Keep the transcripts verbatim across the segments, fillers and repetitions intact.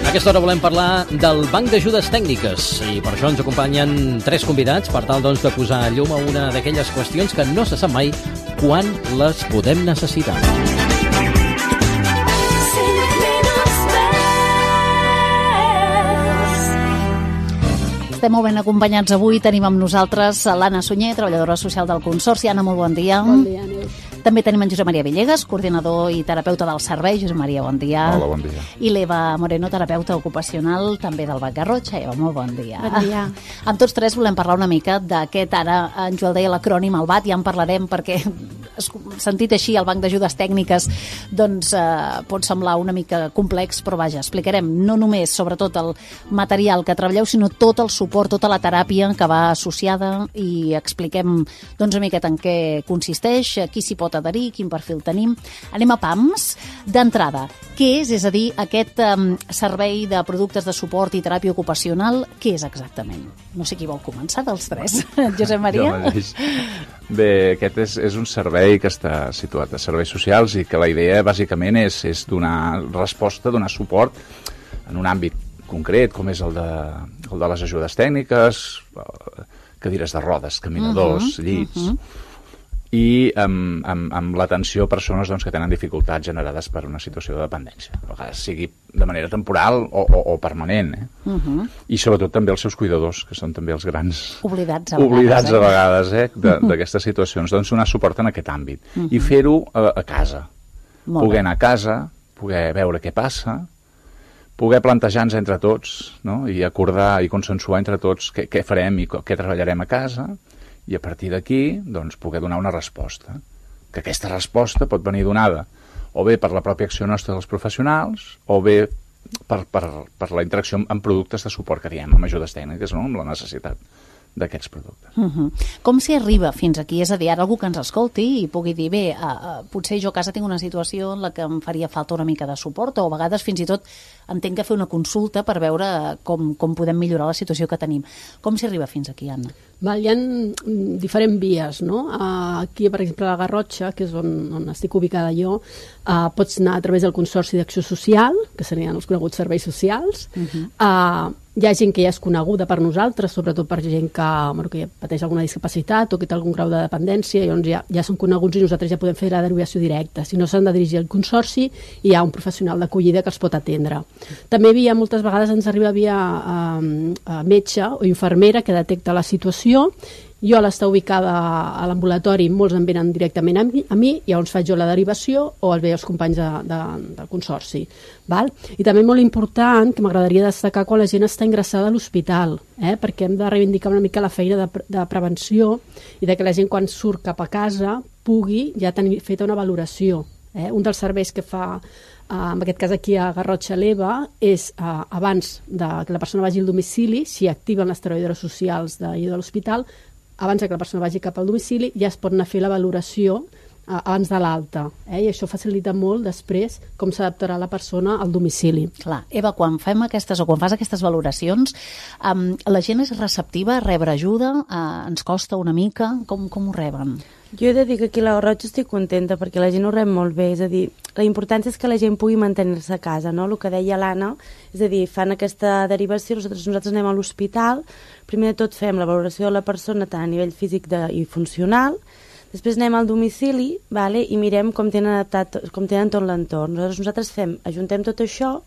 A aquesta hora volem parlar del Banc d'Ajudes Tècniques i per això ens acompanyen tres convidats per tal doncs, de posar llum a una d'aquelles qüestions que no se sap mai quan les podem necessitar. Estem molt ben acompanyats avui. Tenim amb nosaltres l'Anna Sunyer, treballadora social del Consorci. Anna, molt bon dia. Bon dia, Neus. També tenim en Josep Maria Villegas, coordinador i terapeuta del servei. Josep Maria, bon dia. Hola, bon dia. I l'Eva Moreno, terapeuta ocupacional, també del Banc Garrotxa. Eva, molt bon dia. Bon dia. Amb tots tres volem parlar una mica d'aquest, ara en Joel deia l'acrònim, el B A T, ja en parlarem perquè, sentit així, el Banc d'Ajudes Tècniques, doncs eh, pot semblar una mica complex, però vaja, explicarem no només, sobretot, el material que treballeu, sinó tot el suport, tota la teràpia que va associada i expliquem doncs, una miqueta en què consisteix, qui s'hi pot adherir, quin perfil tenim. Anem a P A M S. D'entrada, què és? És a dir, aquest um, servei de productes de suport i teràpia ocupacional, què és exactament? No sé qui vol començar dels tres. Josep Maria? Bé, aquest és, és un servei que està situat a serveis socials i que la idea bàsicament és, és donar resposta, donar suport en un àmbit concret, com és el de, el de les ajudes tècniques, cadires de rodes, caminadors, uh-huh, llits, uh-huh. i amb, amb, amb l'atenció a persones doncs, que tenen dificultats generades per una situació de dependència, a vegades sigui de manera temporal o, o, o permanent, eh? uh-huh. i sobretot també els seus cuidadors, que són també els grans oblidats a oblidats vegades, eh? a vegades eh? d'aquestes uh-huh. situacions, doncs donar suport en aquest àmbit uh-huh. i fer-ho a, a casa, Molt poder bé. anar a casa, poder veure què passa, poder plantejar-nos entre tots, no? I acordar i consensuar entre tots què, què farem i què treballarem a casa, i a partir d'aquí doncs, poder donar una resposta. Que aquesta resposta pot venir donada o bé per la pròpia acció nostra dels professionals o bé per, per, per la interacció amb productes de suport que diem, amb ajudes tècniques, no? Amb la necessitat d'aquests productes. Uh-huh. Com s'hi arriba fins aquí? És a dir, ara algú que ens escolti i pugui dir, bé, uh, uh, potser jo a casa tinc una situació en la que em faria falta una mica de suport, o a vegades fins i tot entenc que fer una consulta per veure com, com podem millorar la situació que tenim. Com s'hi arriba fins aquí, Anna? Val, hi ha diferents vies, no? Uh, aquí, per exemple, a la Garrotxa, que és on, on estic ubicada jo, uh, pots anar a través del Consorci d'Acció Social, que serien els coneguts serveis socials. Uh-huh. uh, hi ha gent que ja és coneguda per nosaltres, sobretot per gent que, bueno, que pateix alguna discapacitat o que té algun grau de dependència, i llavors ja, ja són coneguts i nosaltres ja podem fer la derivació directa. Si no, s'han de dirigir al Consorci i hi ha un professional d'acollida que els pot atendre. També via, moltes vegades ens arriba via uh, metge o infermera que detecta la situació. Jo, a l'estar ubicada a l'ambulatori, molts em venen directament a mi, a mi i llavors faig jo la derivació o el ve els companys de, de, del Consorci. Val? I també molt important, que m'agradaria destacar quan la gent està ingressada a l'hospital, eh? perquè hem de reivindicar una mica la feina de, de prevenció i de que la gent quan surt cap a casa pugui ja tenir feta una valoració. Eh? Un dels serveis que fa, uh, en aquest cas aquí a Garrotxa l'Eva, és uh, abans de que la persona vagi al domicili, si activen les treballadores socials de, de l'hospital, abans que la persona vagi cap al domicili, ja es pot anar a fer la valoració eh, abans de l'alta. Eh? I això facilita molt després com s'adaptarà la persona al domicili. Clar. Eva, quan fem aquestes o quan fas aquestes valoracions, um, la gent és receptiva a rebre ajuda? Uh, ens costa una mica? Com, com ho reben? Jo he de dir que aquí a la Garrotxa estic contenta perquè la gent ho rep molt bé, és a dir, la importància és que la gent pugui mantenir-se a casa, no? El que deia l'Anna, és a dir, fan aquesta derivació, nosaltres, nosaltres anem a l'hospital, primer de tot fem la valoració de la persona tant a nivell físic de, i funcional, després anem al domicili, vale, i mirem com tenen, adaptat, com tenen tot l'entorn. Nosaltres, nosaltres fem, ajuntem tot això,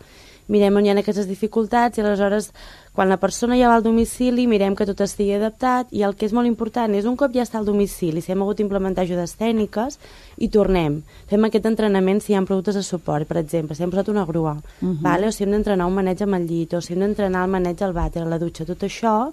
mirem on hi ha aquestes dificultats i aleshores quan la persona ja va al domicili mirem que tot estigui adaptat i el que és molt important és un cop ja està al domicili, si hem hagut d'implementar ajudes tècniques i tornem, fem aquest entrenament si hi ha productes de suport, per exemple, si hem posat una grua, uh-huh. vale? O si hem d'entrenar un maneig amb el llit o si hem d'entrenar el maneig al vàter, a la dutxa, tot això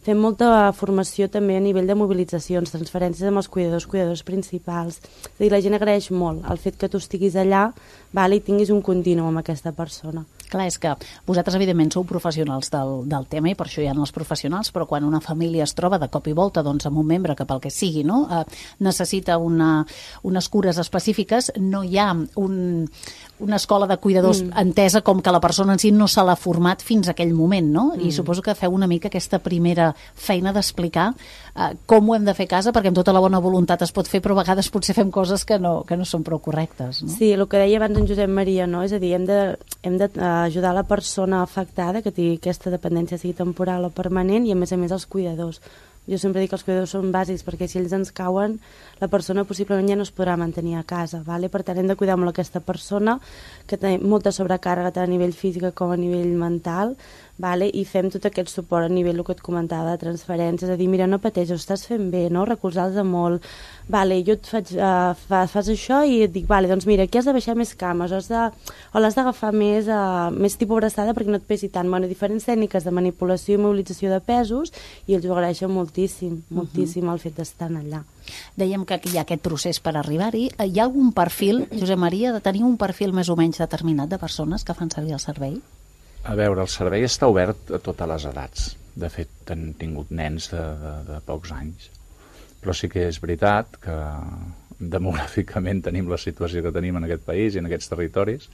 fem molta formació també a nivell de mobilitzacions, transferències amb els cuidadors, cuidadors principals. És a dir, la gent agraeix molt el fet que tu estiguis allà, vale, i tinguis un continu amb aquesta persona. Clar, és que vosaltres evidentment sou professionals del, del tema i per això hi ha els professionals, però quan una família es troba de cop i volta doncs, amb un membre que pel que sigui no, eh, necessita una, unes cures específiques, no hi ha un, una escola de cuidadors mm. entesa com que la persona en si no se l'ha format fins a aquell moment, no? Mm. I suposo que feu una mica aquesta primera feina d'explicar eh, com ho hem de fer a casa, perquè amb tota la bona voluntat es pot fer, però a vegades potser fem coses que no, que no són prou correctes. No? Sí, el que deia abans en Josep Maria, no? És a dir, hem de, hem de uh, ajudar la persona afectada, que tingui aquesta dependència sigui temporal o permanent, i a més a més els cuidadors. Jo sempre dic que els cuidadors són bàsics perquè si ells ens cauen, la persona possiblement ja no es podrà mantenir a casa. Vale? Per tant, hem de cuidar molt aquesta persona que té molta sobrecàrrega tant a nivell físic com a nivell mental, vale? I fem tot aquest suport a nivell, el que et comentava, de transferències, és a dir, mira, no pateixes, ho estàs fent bé, no? Recolzar-los molt. Vale, jo et faig, uh, fa, fas això i et dic, vale, doncs mira, aquí has de baixar més cames, o, has de, o l'has d'agafar més, uh, més tipus abraçada perquè no et pesi tant. Bueno, diferents tècniques de manipulació i mobilització de pesos, i ells ho agraeixen moltíssim, moltíssim uh -huh. el fet d'estar allà. Dèiem que hi ha aquest procés per arribar-hi. Hi ha algun perfil, Josep Maria, de tenir un perfil més o menys determinat de persones que fan servir el servei? A veure, el servei està obert a totes les edats. De fet, han tingut nens de, de, de pocs anys. Però sí que és veritat que demogràficament tenim la situació que tenim en aquest país i en aquests territoris,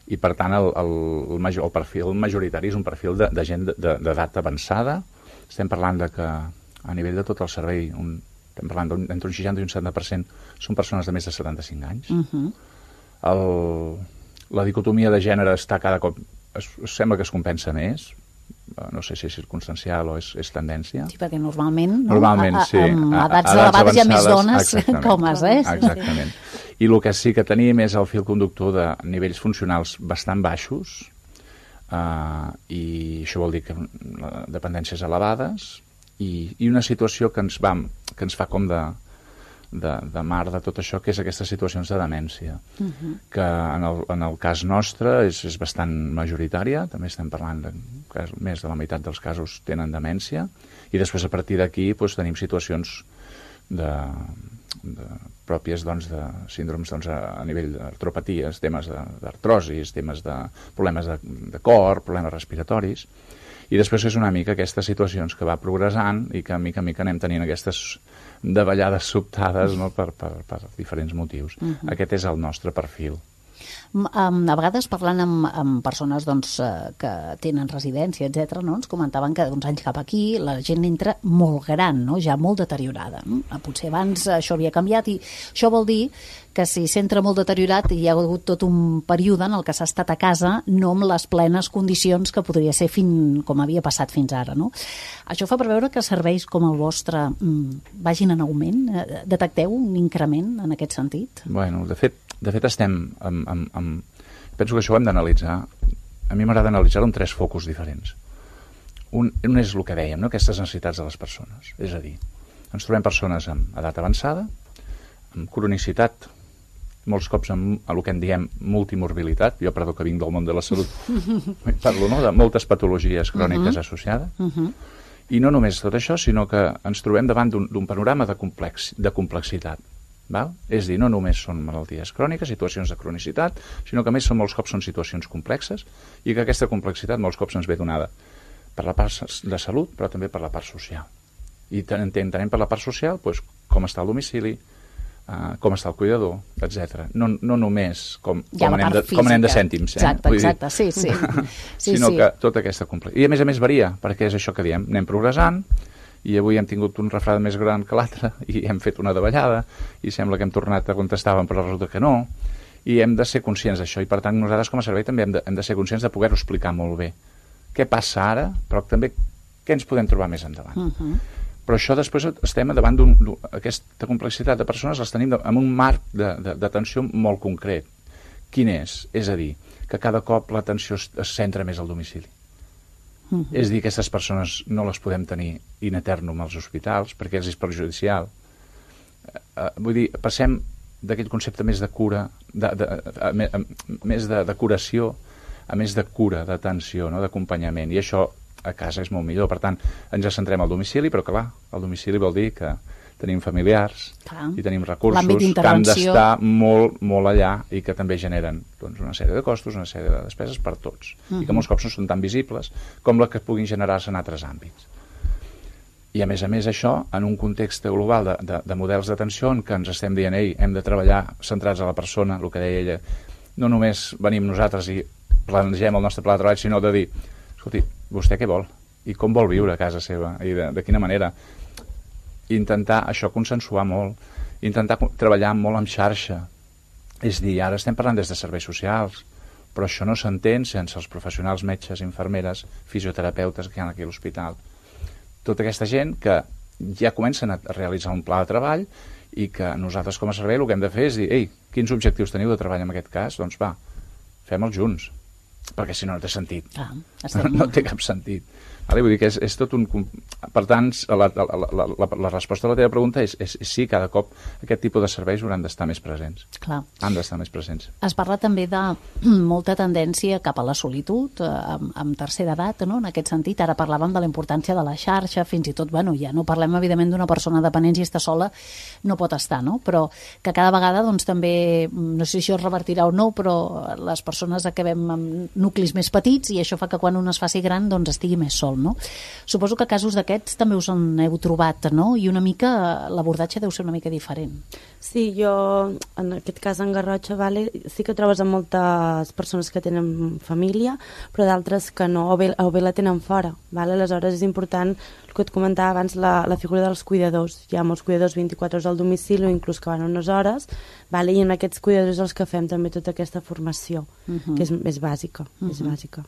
i per tant el, el, el, major, el perfil majoritari és un perfil de, de gent d'edat avançada. Estem parlant de que a nivell de tot el servei un, estem parlant d'entre un seixanta i un setanta per cent són persones de més de setanta-cinc anys. Uh-huh. el, la dicotomia de gènere està cada cop, es, sembla que es compensa més, no sé si és circumstancial o és, és tendència. Sí, perquè normalment, no? Normalment, a, a, sí. Amb edats elevades hi ha més dones que homes, eh? Exactament. I el que sí que tenim és el fil conductor de nivells funcionals bastant baixos, uh, i això vol dir que dependències elevades, i, i una situació que ens, va, que ens fa com de, de, de mar de tot això, que és aquestes situacions de demència, uh-huh. que en el, en el cas nostre és, és bastant majoritària, també estem parlant de que més de la meitat dels casos tenen demència, i després a partir d'aquí doncs, tenim situacions de, de, pròpies doncs, de síndromes doncs, a, a nivell d'artropaties, temes d'artrosis, temes de problemes de, de cor, problemes respiratoris, i després és una mica aquestes situacions que va progressant i que a mica a mica anem tenint aquestes davallades sobtades, no? per, per, per diferents motius. Uh-huh. Aquest és el nostre perfil. A vegades parlant amb, amb persones doncs, que tenen residència, etcètera, no? Ens comentaven que d'uns anys cap aquí la gent entra molt gran, no? Ja molt deteriorada. No? Potser abans això havia canviat i això vol dir que si s'entra molt deteriorat hi ha hagut tot un període en el que s'ha estat a casa no amb les plenes condicions que podria ser fin, com havia passat fins ara. No? Això fa preveure que serveis com el vostre mm, vagin en augment? Detecteu un increment en aquest sentit? Bueno, de fet, de fet estem amb, amb, amb... penso que això ho hem d'analitzar. A mi m'agrada analitzar-ho en tres focus diferents. Un, un és el que dèiem, no? Aquestes necessitats de les persones. És a dir, ens trobem persones amb edat avançada, amb cronicitat, molts cops amb el que en diem multimorbilitat. Jo, perdó, que vinc del món de la salut, parlo, no?, de moltes patologies cròniques uh-huh. associades. Uh-huh. I no només tot això, sinó que ens trobem davant d'un panorama de, complex, de complexitat. Val? És a dir, no només són malalties cròniques, situacions de cronicitat, sinó que a més són, molts cops són situacions complexes i que aquesta complexitat molts cops ens ve donada per la part de salut, però també per la part social. I entenem per la part social doncs, com està el domicili, Uh, com està el cuidador, etcètera. No, no només com, com, anem de, com anem de cèntims. Eh? Exacte, exacte, sí, sí. sí sinó sí. que tota aquesta complexitat. I a més a més varia, perquè és això que diem, anem progressant, i avui hem tingut un refredat més gran que l'altre, i hem fet una davallada, i sembla que hem tornat a on estàvem, però resulta que no, i hem de ser conscients d'això, i per tant nosaltres com a servei també hem de, hem de ser conscients de poder-ho explicar molt bé. Què passa ara, però també què ens podem trobar més endavant. Uh-huh. Però això després estem davant d'aquesta complexitat de persones, les tenim en un marc d'atenció molt concret. Quin és? És a dir, que cada cop l'atenció es, es centra més al domicili. Uh-huh. És a dir, aquestes persones no les podem tenir in eternum als hospitals perquè els és perjudicial. Uh, vull dir, passem d'aquell concepte més de cura, de, de, a, a, a, més de, de curació, a més de cura, d'atenció, no? D'acompanyament. I això a casa és molt millor. Per tant, ens centrem al domicili, però clar, el domicili vol dir que tenim familiars clar. I tenim recursos que han d'estar molt, molt allà i que també generen doncs, una sèrie de costos, una sèrie de despeses per tots. Uh-huh. I que molts cops no són tan visibles com la que puguin generar-se en altres àmbits. I a més a més això, en un context global de, de, de models d'atenció en què ens estem dient, ei, hem de treballar centrats a la persona, el que deia ella, no només venim nosaltres i plantegem el nostre pla de treball, sinó de dir, escolti, vostè què vol? I com vol viure a casa seva? I de, de quina manera? Intentar això consensuar molt, intentar treballar molt en xarxa. És dir, ara estem parlant des de serveis socials, però això no s'entén sense els professionals, metges, infermeres, fisioterapeutes que hi ha aquí a l'hospital. Tota aquesta gent que ja comencen a realitzar un pla de treball i que nosaltres com a servei el que hem de fer és dir, ei, quins objectius teniu de treball en aquest cas? Doncs va, fem-els junts, perquè si no no té sentit. Ah, no, no té cap sentit. Vale? Vull dir que és, és tot un... Per tant, la, la, la, la, la resposta a la teva pregunta és, és, és sí, cada cop aquest tipus de serveis hauran d'estar més presents. Clar. Han d'estar més presents. Es parla també de molta tendència cap a la solitud, eh, amb, amb tercera edat, no? En aquest sentit. Ara parlàvem de la importància de la xarxa, fins i tot, bueno, ja no parlem, evidentment, d'una persona dependent, si està sola, no pot estar, no? Però que cada vegada, doncs, també, no sé si això es revertirà o no, però les persones acabem amb nuclis més petits i això fa que quan un es faci gran, doncs, estigui més sol, no? Suposo que casos d'aquests també us en heu trobat, no? I una mica l'abordatge deu ser una mica diferent. Sí, jo, en aquest cas en Garrotxa, vale, sí que trobes amb moltes persones que tenen família, però d'altres que no, o bé, o bé la tenen fora. Vale? Aleshores és important, el que et comentava abans, la, la figura dels cuidadors. Hi ha molts cuidadors vint-i-quatre hores al domicili o inclús que van unes hores, vale? I en aquests cuidadors els que fem també tota aquesta formació, uh-huh. que és, és bàsica, uh-huh. és bàsica.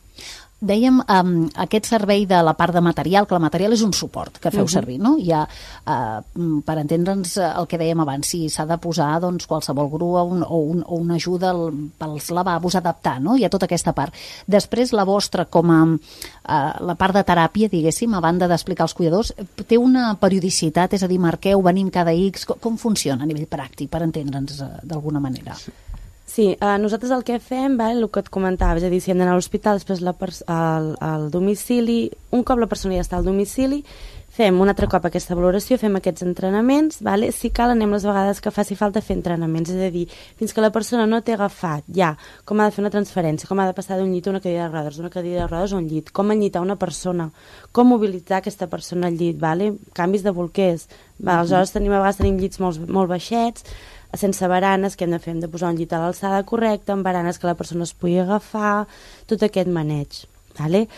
Dèiem um, aquest servei de la part de material, que el material és un suport que feu uh-huh. servir, no? Hi ha, uh, per entendre'ns el que dèiem abans, si s'ha de posar doncs, qualsevol grua un, o, un, o una ajuda al, pels lavabos, adaptar, no? Hi ha tota aquesta part. Després, la vostra, com a uh, la part de teràpia, diguéssim, a banda d'explicar als cuidadors, té una periodicitat, és a dir, marqueu, venim cada X, com, com funciona a nivell pràctic, per entendre'ns uh, d'alguna manera? Sí. Sí, eh, nosaltres el que fem, vale, el que et comentava, és a dir, si hem d'anar a l'hospital, després la al, al domicili, un cop la persona ja està al domicili, fem un altre cop aquesta valoració, fem aquests entrenaments, vale? Si cal anem les vegades que faci falta fer entrenaments, és a dir, fins que la persona no té agafat ja com ha de fer una transferència, com ha de passar d'un llit a una cadira de rodes, d'una cadira de rodes a un llit, com enllitar una persona, com mobilitzar aquesta persona al llit, vale? Canvis de bolquers, vale? Aleshores tenim, a vegades tenim llits molt, molt baixets, sense baranes, que hem de fer, hem de posar un llit a l'alçada correcta, amb baranes que la persona es pugui agafar, tot aquest maneig, vale?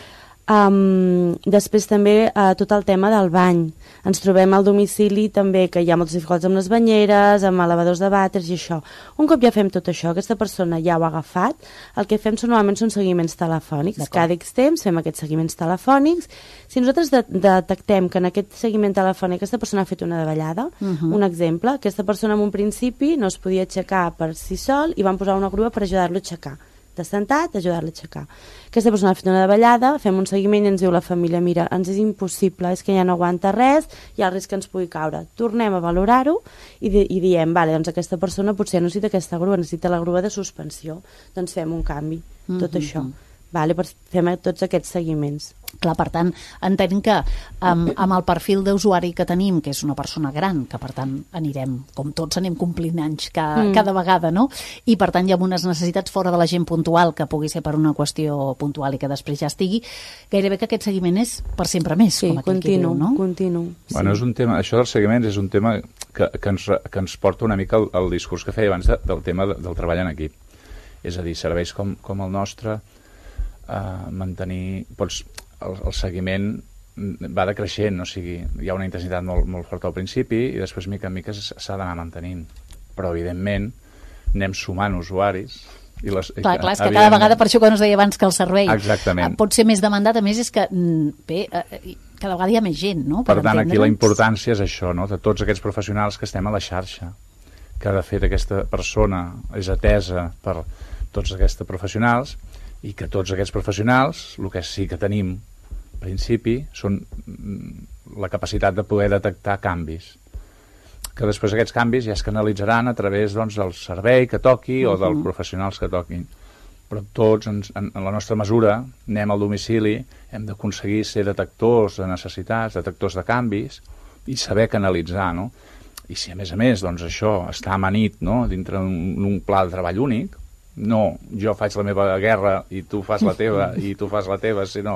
Um, després també uh, tot el tema del bany. Ens trobem al domicili també que hi ha moltes dificultats amb les banyeres, amb elevadors de vàters i això. Un cop ja fem tot això, aquesta persona ja ho ha agafat, el que fem són, normalment són seguiments telefònics. Cada X temps fem aquests seguiments telefònics. Si nosaltres de detectem que en aquest seguiment telefònic aquesta persona ha fet una davallada, uh-huh. un exemple, aquesta persona en un principi no es podia aixecar per si sol i van posar una grua per ajudar-lo a aixecar. De sentat, ajudar-la a aixecar. Aquesta persona ha fet una davallada, fem un seguiment i ens diu la família, mira, ens és impossible, és que ja no aguanta res, hi ha el risc que ens pugui caure. Tornem a valorar-ho i, di i diem, vale, doncs aquesta persona potser no necessita aquesta grua, necessita la grua de suspensió, doncs fem un canvi, tot mm-hmm. això. Vale, per fem tots aquests seguiments. Clar, per tant, entenc que um, amb el perfil d'usuari que tenim, que és una persona gran, que per tant anirem, com tots anem complint anys cada, mm. cada vegada, no? I per tant hi ha unes necessitats fora de la gent puntual, que pugui ser per una qüestió puntual i que després ja estigui, gairebé que aquest seguiment és per sempre més, sí, com aquell continu, que diu, no? continu. Bueno, sí. és un tema, això dels seguiments és un tema que, que, ens, que ens porta una mica al, al discurs que feia abans de, del tema de, del treball en equip. És a dir, serveis com, com el nostre, Uh, mantenir pots, el, el seguiment va decreixent, o sigui, hi ha una intensitat molt, molt forta al principi i després mica en mica s'ha d'anar mantenint, però evidentment anem sumant usuaris i les, clar, clar, és que cada vegada, per això quan us deia abans que el servei exactament. pot ser més demandat, a més és que bé, cada vegada hi ha més gent, no? Per, per tant, aquí la importància és això, no? De tots aquests professionals que estem a la xarxa, que de fet aquesta persona és atesa per tots aquests professionals i que tots aquests professionals, el que sí que tenim al principi, són la capacitat de poder detectar canvis. Que després aquests canvis ja es canalitzaran a través doncs, del servei que toqui uh-huh. o dels professionals que toquin. Però tots, en, en la nostra mesura, anem al domicili, hem d'aconseguir ser detectors de necessitats, detectors de canvis i saber canalitzar, no? I si a més a més doncs, això està amanit, no? Dintre un, un pla de treball únic, no, jo faig la meva guerra i tu fas la teva i tu fas la teva, sinó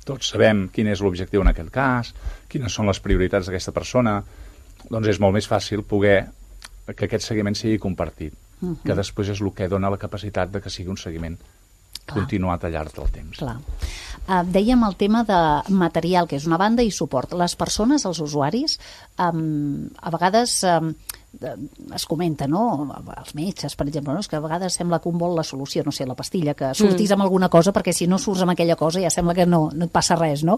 tots sabem quin és l'objectiu en aquest cas, quines són les prioritats d'aquesta persona, doncs és molt més fàcil poder que aquest seguiment sigui compartit, uh-huh. que després és el que dona la capacitat de que sigui un seguiment Clar. continuat al llarg del temps. Clar. Uh, dèiem el tema de material, que és una banda, i suport. Les persones, els usuaris, um, a vegades um, es comenta, no? Els metges, per exemple, no? És que a vegades sembla que un vol la solució, no sé, la pastilla, que sortís amb alguna cosa, perquè si no surts amb aquella cosa ja sembla que no, no et passa res, no?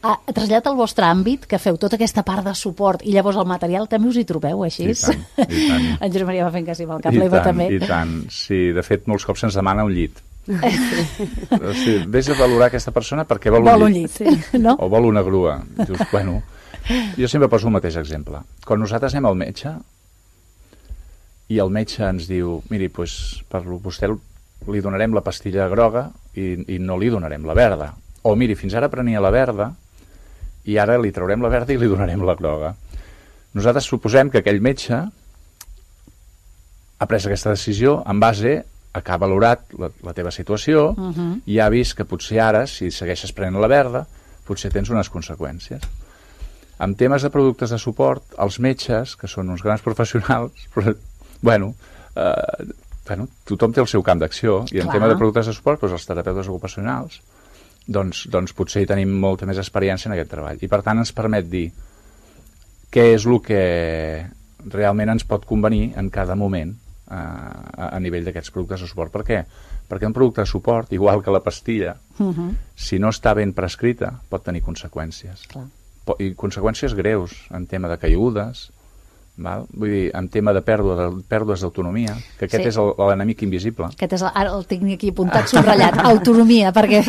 Ah, traslladat al vostre àmbit, que feu tota aquesta part de suport i llavors el material també us hi trobeu, així? I tant, i tant. En Josep Maria va fent que sí, amb el cap, l'Eva també. I tant, sí, de fet molts cops se'ns demana un llit. O sigui, vés a valorar aquesta persona perquè vol, vol un llit, llit, sí. No? O vol una grua. Dius, bueno, jo sempre poso el mateix exemple. Quan nosaltres anem al metge i el metge ens diu, miri, doncs, per vostè li donarem la pastilla groga i, i no li donarem la verda. O miri, fins ara prenia la verda i ara li traurem la verda i li donarem la groga. Nosaltres suposem que aquell metge ha pres aquesta decisió en base a que ha valorat la, la teva situació uh-huh. i ha vist que potser ara, si segueixes prenent la verda, potser tens unes conseqüències. En temes de productes de suport, els metges, que són uns grans professionals, però, bueno, eh, bueno, tothom té el seu camp d'acció, i en Clar. tema de productes de suport, doncs els terapeutes ocupacionals, doncs, doncs potser hi tenim molta més experiència en aquest treball. I per tant ens permet dir què és el que realment ens pot convenir en cada moment eh, a, a nivell d'aquests productes de suport. Per què? Perquè un producte de suport, igual que la pastilla, uh-huh. si no està ben prescrita, pot tenir conseqüències. Clar. I conseqüències greus en tema de caigudes, val? Vull dir, en tema de pèrdua de, pèrdues d'autonomia, que aquest sí. és l'enemic invisible. Aquest és el, ara el tinc aquí apuntat, subratllat, autonomia, perquè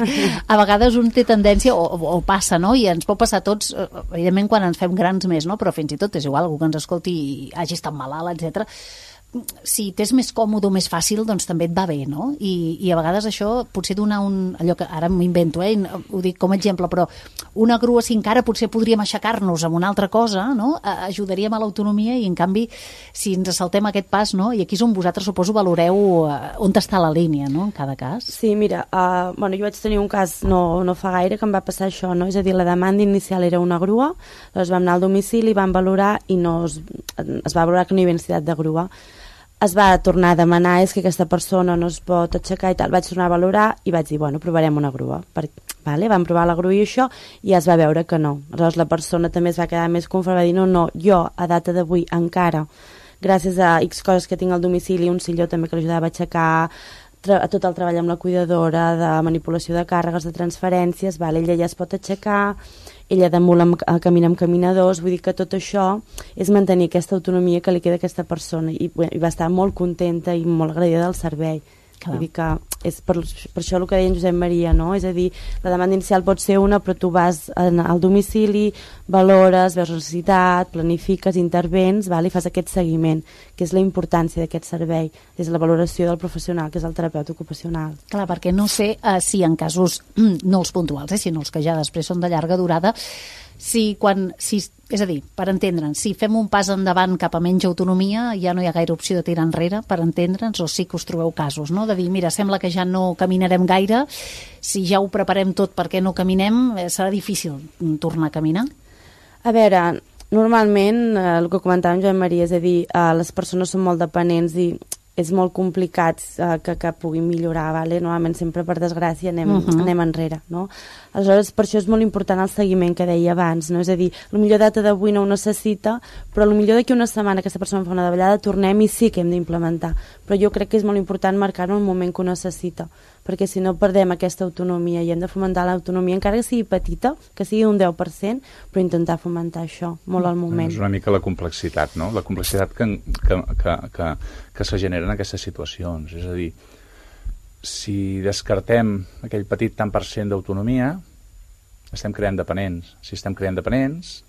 a vegades un té tendència, o, o, o passa, no? I ens pot passar a tots, evidentment quan ens fem grans més, no? Però fins i tot és igual, algú que ens escolti i hagi estat malalt, etcètera. Si t'és més còmode o més fàcil, doncs també et va bé, no? I, i a vegades això potser donar un... allò que ara m'invento, eh? Ho dic com a exemple, però una grua, si encara potser podríem aixecar-nos amb una altra cosa, no? Ajudaríem a l'autonomia i, en canvi, si ens saltem aquest pas, no? I aquí és on vosaltres, suposo, valoreu on està la línia, no? En cada cas. Sí, mira, uh, bueno, jo vaig tenir un cas no, no fa gaire que em va passar això, no? És a dir, la demanda inicial era una grua, llavors vam anar al domicili, vam valorar i no es, es va valorar que no hi havia necessitat de grua. Es va tornar a demanar, és que aquesta persona no es pot aixecar i tal, vaig tornar a valorar i vaig dir, bueno, provarem una grua. Per, vale, vam provar la grua i això, i es va veure que no. Aleshores la persona també es va quedar més conforme, va dir, no, no, jo a data d'avui encara, gràcies a X coses que tinc al domicili, un silló també que l'ajudava a aixecar, a tot el treball amb la cuidadora, de manipulació de càrregues, de transferències, vale, ella ja es pot aixecar, ella de mula camina amb caminadors, vull dir que tot això és mantenir aquesta autonomia que li queda a aquesta persona i, i va estar molt contenta i molt agraïda del servei. Clar. Vull dir que és per, per això el que deia en Josep Maria, no? És a dir, la demanda inicial pot ser una, però tu vas en, al domicili, valores, veus la necessitat, planifiques, intervens, val? I fas aquest seguiment, que és la importància d'aquest servei, és la valoració del professional, que és el terapeuta ocupacional. Clar, perquè no sé uh, si en casos, no els puntuals, eh, sinó els que ja després són de llarga durada, si quan, si, és a dir, per entendre'ns, si fem un pas endavant cap a menys autonomia, ja no hi ha gaire opció de tirar enrere, per entendre'ns, o sí que us trobeu casos, no? De dir, mira, sembla que ja no caminarem gaire, si ja ho preparem tot perquè no caminem, eh, serà difícil tornar a caminar? A veure, normalment, eh, el que comentàvem Joan Maria, és a dir, eh, les persones són molt dependents i és molt complicat eh, que, que puguin millorar, vale? Normalment sempre per desgràcia anem, uh-huh. anem enrere, no? Aleshores, per això és molt important el seguiment que deia abans, no? És a dir, potser data d'avui no ho necessita, però potser d'aquí una setmana aquesta persona fa una davallada, tornem i sí que hem d'implementar. Però jo crec que és molt important marcar-ho en el moment que ho necessita, perquè si no perdem aquesta autonomia i hem de fomentar l'autonomia, encara que sigui petita, que sigui un deu per cent, però intentar fomentar això molt al moment. És una mica la complexitat, no? La complexitat que, que, que, que, que se genera en aquestes situacions. És a dir, si descartem aquell petit tant per cent d'autonomia, estem creant dependents. Si estem creant dependents,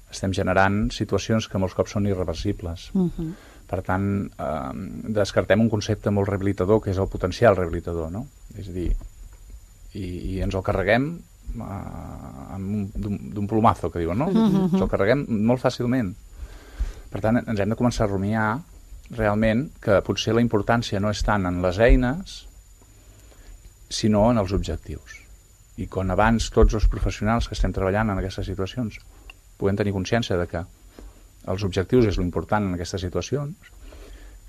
estem generant situacions que molts cops són irreversibles. Uh-huh. Per tant, eh, descartem un concepte molt rehabilitador, que és el potencial rehabilitador, no? És a dir, i, i ens el carreguem eh, d'un plomazo, que diuen, no? Uh-huh. Ens el carreguem molt fàcilment. Per tant, ens hem de començar a rumiar realment que potser la importància no és tant en les eines, sinó en els objectius. I quan abans tots els professionals que estem treballant en aquestes situacions puguem tenir consciència de que els objectius és l'important en aquestes situacions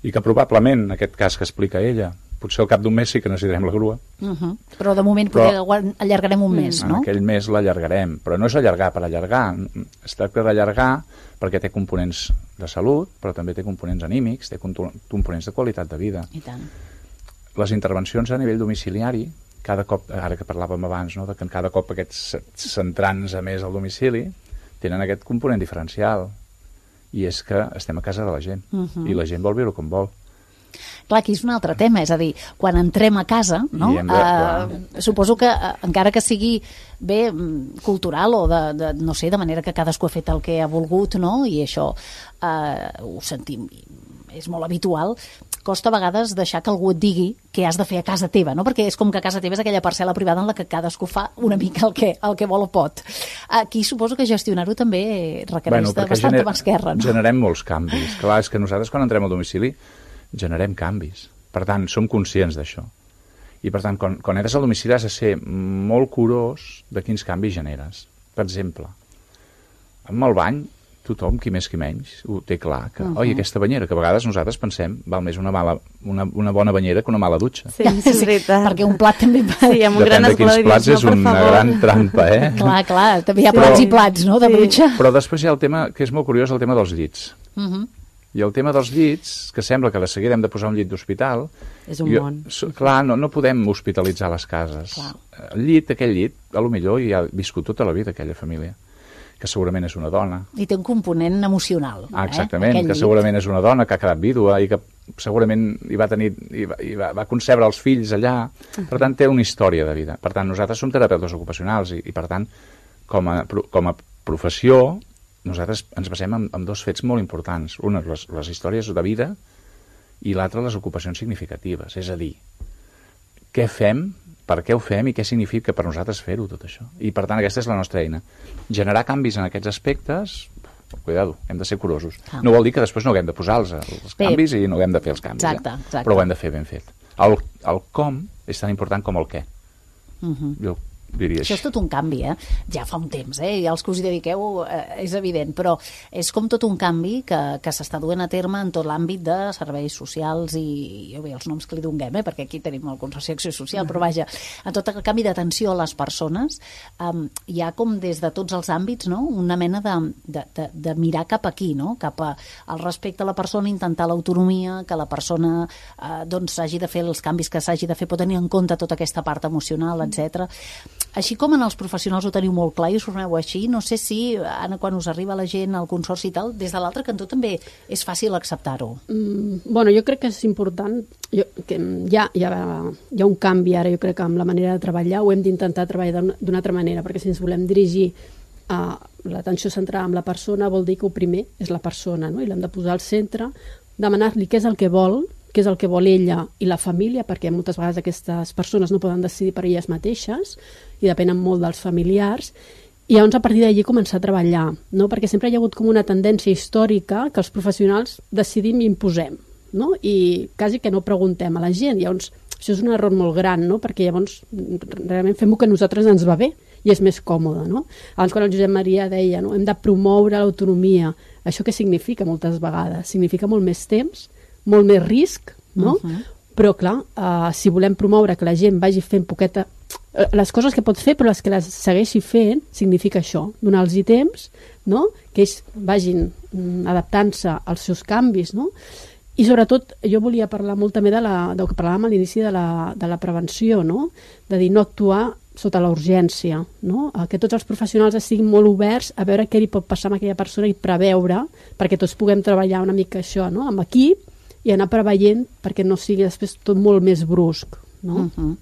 i que probablement, en aquest cas que explica ella, potser al cap d'un mes sí que necessitarem la grua. Uh -huh. Però de moment però, poder, allargarem un mes, en no? En aquell mes l'allargarem, però no és allargar per allargar, es tracta d'allargar perquè té components de salut, però també té components anímics, té components de qualitat de vida. I tant. Les intervencions a nivell domiciliari, cada cop, ara que parlàvem abans, no, de que cada cop aquests centrants a més al domicili tenen aquest component diferencial, i és que estem a casa de la gent, uh -huh. i la gent vol viure com vol. Clar, aquí és un altre tema, és a dir, quan entrem a casa, no? De, uh, suposo que, uh, encara que sigui bé cultural o de, de, no sé, de manera que cadascú ha fet el que ha volgut, no? I això uh, ho sentim, és molt habitual, costa a vegades deixar que algú et digui què has de fer a casa teva, no? Perquè és com que a casa teva és aquella parcel·la privada en la que cadascú fa una mica el que, el que vol o pot. Aquí suposo que gestionar-ho també requereix bueno, de bastanta gener, mà esquerra, no? Generem molts canvis. Clar, és que nosaltres quan entrem al domicili generem canvis. Per tant, som conscients d'això. I per tant, quan, quan entres al domicili has de ser molt curós de quins canvis generes. Per exemple, amb el bany, tothom, qui més qui menys, ho té clar, que, uh -huh. oi, aquesta banyera, que a vegades nosaltres pensem, val més una, mala, una, una bona banyera que una mala dutxa. Sí, sí, és veritat. Perquè un plat també... Sí, amb un gran Depèn de quins plats no, és una favor. gran trampa, eh? Clar, clar, també hi ha Però- plats i plats, no?, de Sí. dutxa. Però després hi ha el tema, que és molt curiós, el tema dels llits. Uh -huh. I el tema dels llits, que sembla que de seguida hem de posar un llit d'hospital... És un jo, món. so, clar, no, no podem hospitalitzar les cases. Clar. El llit, aquell llit, a lo millor hi ha viscut tota la vida aquella família, que segurament és una dona. I té un component emocional. Ah, eh? exactament, Aquell que llit. segurament és una dona que ha quedat vídua i que segurament hi va tenir hi va, hi va, va concebre els fills allà. Per tant, té una història de vida. Per tant, nosaltres som terapeutes ocupacionals i, i per tant, com a, pro- com a professió, nosaltres ens basem en, en dos fets molt importants. Una, les, les històries de vida, i l'altra, les ocupacions significatives. És a dir, què fem, per què ho fem i què significa per nosaltres fer-ho, tot això. I, per tant, aquesta és la nostra eina. Generar canvis en aquests aspectes, cuidado, hem de ser curosos. Ah. No vol dir que després no haguem de posar els, els Bé. canvis i no haguem de fer els canvis. Exacte, eh? exacte. Però ho hem de fer ben fet. El, el com és tan important com el què. Uh -huh. Jo diria Això és tot un canvi, eh? Ja fa un temps, eh? I els que us hi dediqueu eh, és evident, però és com tot un canvi que, que s'està duent a terme en tot l'àmbit de serveis socials i, jo bé, els noms que li donem, eh? Perquè aquí tenim el Consorci d'Acció Social, però vaja, en tot el canvi d'atenció a les persones, um, hi ha com des de tots els àmbits, no?, una mena de, de, de, de mirar cap aquí, no?, cap a, al respecte a la persona, intentar l'autonomia, que la persona eh, doncs hagi de fer els canvis que s'hagi de fer, pot tenir en compte tota aquesta part emocional, etcètera. Així com en els professionals ho teniu molt clar i us formeu així, no sé si, Anna, quan us arriba la gent al consorci i tal, des de l'altre cantó també és fàcil acceptar-ho. Mm, bueno, jo crec que és important, jo, que hi ha, hi, ha, hi ha un canvi ara, jo crec que amb la manera de treballar ho hem d'intentar treballar d'una altra manera, perquè si ens volem dirigir a l'atenció centrada en la persona vol dir que el primer és la persona, no? I l'hem de posar al centre, demanar-li què és el que vol, què és el que vol ella i la família, perquè moltes vegades aquestes persones no poden decidir per elles mateixes i depenen molt dels familiars, i llavors a partir d'allí començar a treballar, no? Perquè sempre hi ha hagut com una tendència històrica que els professionals decidim i imposem, no? I quasi que no preguntem a la gent. Llavors això és un error molt gran, no? Perquè llavors realment fem-ho que a nosaltres ens va bé i és més còmode, no? Abans quan el Josep Maria deia, no? Hem de promoure l'autonomia. Això què significa moltes vegades? Significa molt més temps, molt més risc, no? Uh -huh. Però clar, uh, si volem promoure que la gent vagi fent poqueta les coses que pot fer, però les que les segueixi fent, significa això, donar-los temps, no? Que ells vagin mm, adaptant-se als seus canvis, no? I sobretot jo volia parlar molt també de la, del que parlàvem a l'inici de la, de la prevenció, no? De dir no actuar sota la urgència, no? Que tots els professionals estiguin molt oberts a veure què li pot passar a aquella persona i preveure, perquè tots puguem treballar una mica això, no? Amb equip i anar preveient perquè no sigui després tot molt més brusc, no? Uh -huh.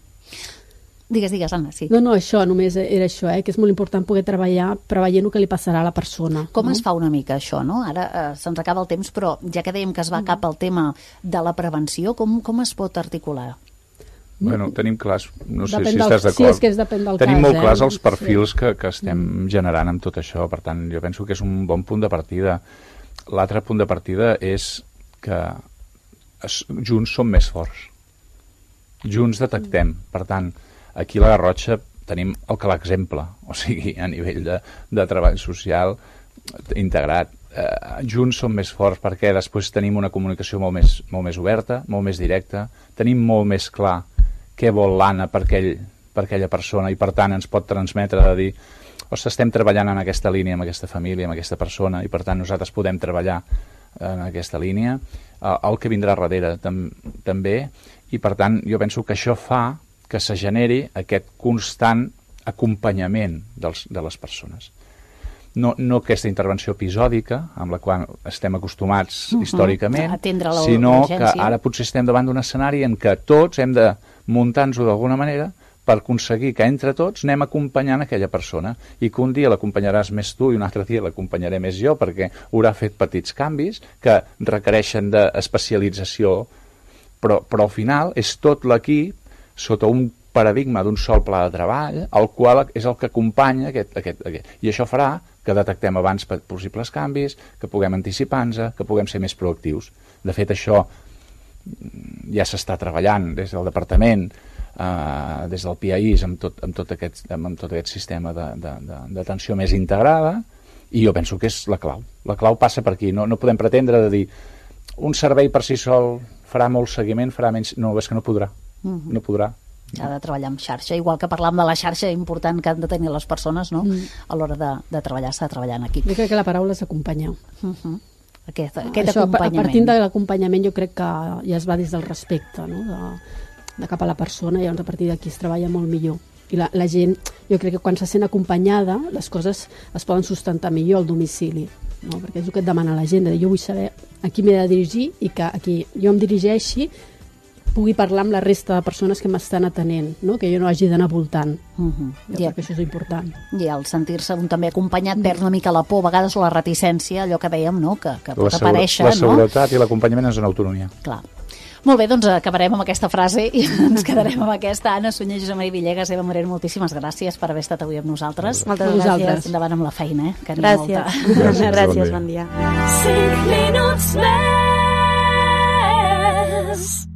Digues, digues, Anna, sí. No, no, això, només era això, eh? Que és molt important poder treballar preveient el que li passarà a la persona. Com no? es fa una mica això, no? Ara eh, se'ns acaba el temps, però ja que dèiem que es va cap al tema de la prevenció, com, com es pot articular? Bueno, tenim clars, no sé Depèn si del- estàs d'acord. sí, és que és depèn del Tenim cas, molt eh? clars els perfils que, que estem generant amb tot això, per tant, jo penso que és un bon punt de partida. L'altre punt de partida és que es, junts som més forts. Junts detectem. Per tant, aquí a la Garrotxa tenim el que l'exemple, o sigui, a nivell de, de treball social integrat. eh, junts som més forts perquè després tenim una comunicació molt més, molt més oberta, molt més directa, tenim molt més clar què vol l'Anna per, aquell, per aquella persona i per tant ens pot transmetre de dir ostres, estem treballant en aquesta línia amb aquesta família, amb aquesta persona i per tant nosaltres podem treballar en aquesta línia, eh, el que vindrà darrere tam, també i per tant jo penso que això fa que se generi aquest constant acompanyament dels, de les persones. No, no aquesta intervenció episòdica amb la qual estem acostumats uh-huh. històricament, sinó que ara potser estem davant d'un escenari en què tots hem de muntar-nos-ho d'alguna manera per aconseguir que entre tots anem acompanyant aquella persona i que un dia l'acompanyaràs més tu i un altre dia l'acompanyaré més jo perquè haurà fet petits canvis que requereixen d'especialització, però, però al final és tot l'equip sota un paradigma d'un sol pla de treball, el qual és el que acompanya aquest, aquest, aquest. I això farà que detectem abans possibles canvis, que puguem anticipar-nos, que puguem ser més proactius. De fet, això ja s'està treballant des del departament, eh, des del P I A I S, amb tot, amb tot, aquest, amb tot aquest sistema d'atenció més integrada, i jo penso que és la clau. La clau passa per aquí. No, no podem pretendre de dir un servei per si sol farà molt seguiment, farà menys... No, és que no podrà. Uh-huh. No podrà. S'ha de treballar amb xarxa, igual que parlàvem de la xarxa important que han de tenir les persones, no? Mm. A l'hora de, de treballar, s'ha de treballar en equip. Jo crec que la paraula és acompanyar. Uh-huh. Aquest, aquest Això, acompanyament. Partint de l'acompanyament jo crec que ja es va des del respecte, no? de, de cap a la persona, i llavors a partir d'aquí es treballa molt millor. I la, la gent, jo crec que quan se sent acompanyada, les coses es poden sustentar millor al domicili, no? Perquè és el que et demana la gent, de dir, jo vull saber a qui m'he de dirigir i que a qui jo em dirigeixi pugui parlar amb la resta de persones que m'estan atenent, no? Que jo no hagi d'anar voltant. Uh-huh. Jo crec que això és important. I al sentir-se un també acompanyat mm. perd una mica la por, a vegades la reticència, allò que dèiem, no? que, que pot aparèixer. La seguretat no? I l'acompanyament és en autonomia. Clar. Molt bé, doncs acabarem amb aquesta frase i ens quedarem amb aquesta. Anna Sunyer, Josep Maria Villegas, Eva Moreno, moltíssimes gràcies per haver estat avui amb nosaltres. Moltes gràcies. Endavant amb la feina, eh? Que gràcies. Molta. Gràcies, gràcies, bon dia. Cinc minuts més.